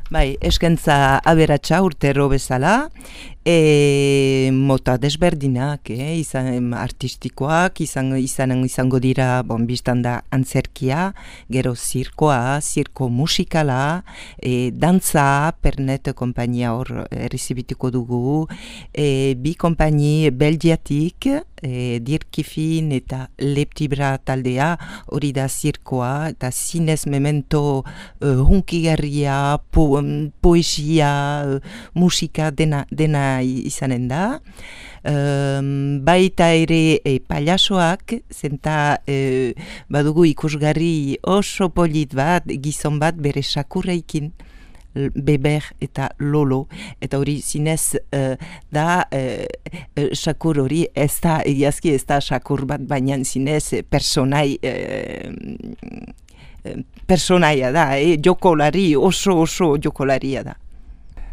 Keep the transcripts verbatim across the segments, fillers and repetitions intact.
Bai, eskaintza aberatsa urtero bezala, e, mota desberdinak, eh? Izan artistikoak, izan, izan, izango dira, bon, biztan da antzerkia, gero zirkoa, zirko musikala, e, dantza, Pernet kompainia hor errezibituko dugu, e, bi kompaini belgiatik, e, Dirkifin eta Leptibra taldea, hori da zirkoa, eta zinez memento uh, hunkigarria, po, um, poesia, uh, musika dena, dena izanen da. Um, baita ere e, pailasoak, zenta e, badugu ikusgarri oso polit bat, gizon bat bere sakurreikin, Beber eta Lolo, eta hori zinez uh, da uh, uh, sakur hori ez da, egiazki ez da sakur bat, baina zinez personai uh, personaia da, eh? Jokolari, oso oso jokolaria da.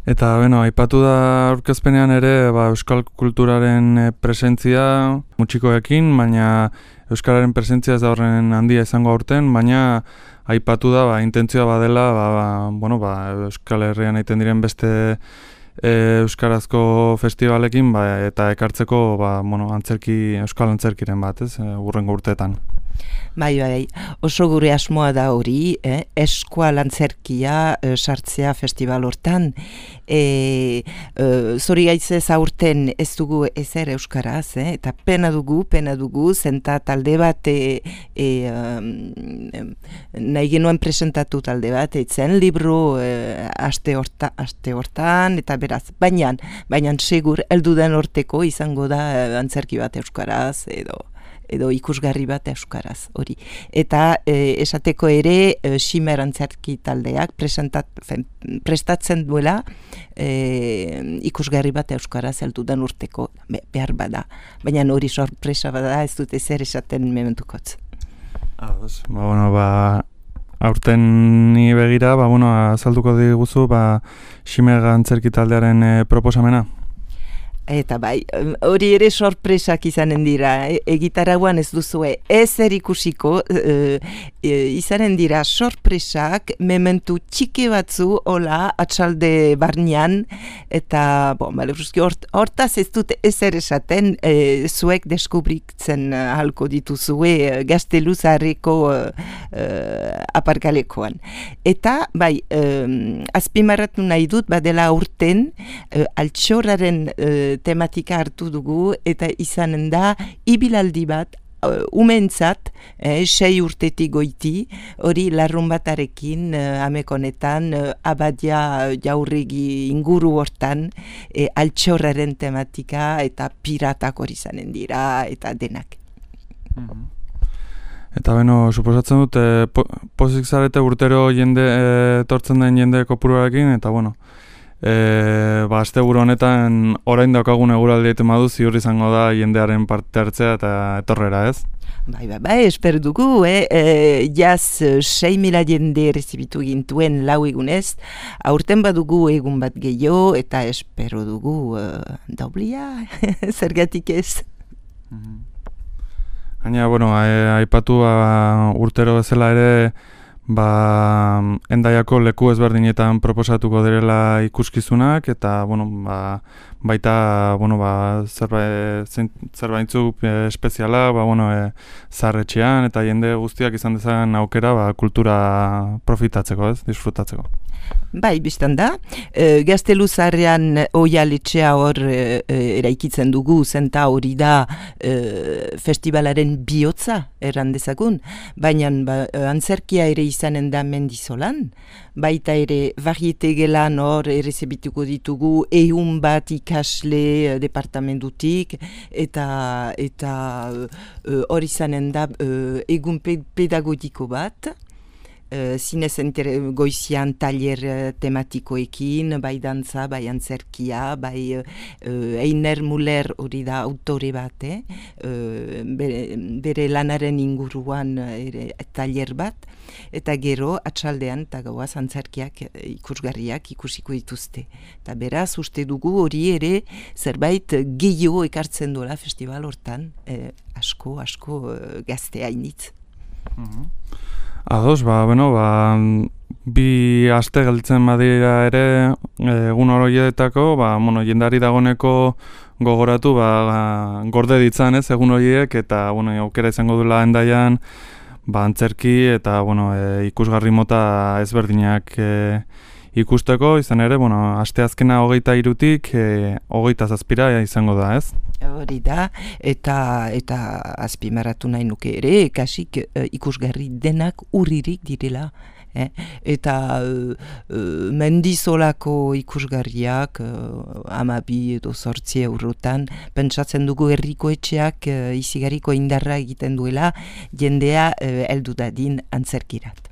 Eta, bueno, aipatu da aurkezpenean ere ba, euskal kulturaren presentzia mutxikoekin, baina euskararen presentzia ez da horren handia izango aurten, baina aipatu da, ba, intentzioa badela, ba, ba, bueno, ba, Euskal Herrian egiten diren beste e, euskarazko festivalekin, ba, eta ekartzeko, ba, bueno, antzerki, euskal antzerkiren bat, ez, hurrengo urteetan. Bai, bai, oso gure asmoa da hori, eh? Eskual antzerkia eh, sartzea festival hortan. E, e, zori gaitzez aurten ez dugu ezer euskaraz, eh? Eta pena dugu, pena dugu, zenta talde bat e, e, um, nahi genuen presentatu talde bat, etzen libro e, aste, horta, aste hortan, eta beraz, baina, baina segur, elduden horteko izango da antzerki bat euskaraz, edo edo ikusgarri bat euskaraz, hori. Eta e, esateko ere, e, Ximer antzerki taldeak presentat, fen, prestatzen duela e, ikusgarri bat euskaraz heldudan urteko be, behar bada. Baina hori sorpresa bada, ez dute zer esaten mementukotz. Ah, ba, bueno, ba, aurten ni begira, ba, bueno, azalduko diguzu, ba, Ximer antzerki taldearen e, proposamena. Eta bai, hori ere sorpresak izanen dira, e, egitaraguan ez duzue ezer ikusiko, e, e, izanen dira sorpresak, mementu txiki batzu, hola, atxalde barnean, eta, bon, bale, hort, hortaz ez dut ezer esaten, e, zuek deskubritzen halko dituzue Gazteluzarreko e, aparkalekoan. Eta, bai, e, azpimarratu nahi dut, badela urten, e, altxorraren e, tematika hartu dugu eta izanen da ibilaldi bat uh, umentzat, eh, sei urtetik goiti, hori larrun batarekin uh, amekonetan uh, abadia jaurregi inguru hortan eh, altxorraren tematika eta piratak hori izanen dira eta denak. Mm-hmm. Eta beno, suposatzen dut, eh, po, pozik zarete urtero jende, eh, tortzen den jende kopuruarekin, eta bueno, E, ba, asteburu honetan orain daukagun eguraldi egiten badu ziur izango da jendearen parte hartzea eta etorrera, ez? Bai, bai, bai, espero dugu, eh? E, jaz sei mila jende rezibitu gintuen lau egunez, aurten badugu egun bat gehiago eta espero dugu uh, doblia, zergatik ez. Gaina, bueno, aipatu ba, urtero bezala ere, ba, Hendaiako leku ezberdinetan proposatuko direla ikuskizunak eta bueno, ba, baita bueno, ba, zerbait zerbaintzuk e, espeziala, ba, bueno, e, zaharretxean eta jende guztiak izan dezan aukera ba, kultura profitatzeko, ez, disfrutatzeko. Bai, biztan da, e, Gazteluzarrean oialetxea hor e, eraikitzen dugu, zenta hori da e, festivalaren bihotza erran dezagun, baina ba, antzerkia ere izanen da Mendizolan, baita ere variete gelan hor errezebituko ditugu ehun bat ikasle departamentutik eta eta hor izanen da e, egun pedagogiko bat, Uh, zinez goizian taller uh, tematikoekin, bai dantza, bai antzerkia, bai uh, Einer Muller hori da autore bat, eh? uh, bere, bere lanaren inguruan uh, ere, taller bat, eta gero atxaldean eta gauaz antzerkiak ikusgarriak ikusiko dituzte. Eta beraz, uste dugu hori ere zerbait gehiago ekartzen dola festival hortan, eh, asko, asko uh, gazte hainitz. Mm-hmm. Ados, ba, bueno, ba, bi aste gelditzen badira ere egun horietako, ba, bueno, jendari dagoneko gogoratu, ba, gorde ditzan ez egun horiek, eta bueno, aukera izango duela Hendaian, ba, antzerki eta bueno, e, ikusgarri mota ezberdinak e, ikusteko, izan ere, bueno, asteazkena hogeita hirutik e, hogeita zazpira izango da, ez? Hori da, eta, eta azpimarratu nahi nuke ere, kasik uh, ikusgarri denak urririk direla. Eh? Eta uh, uh, mendizolako ikusgarriak uh, amabi edo sortzi eurotan, pentsatzen dugu herriko etxeak uh, izigarriko indarra egiten duela, jendea uh, heldu dadin antzerkirat.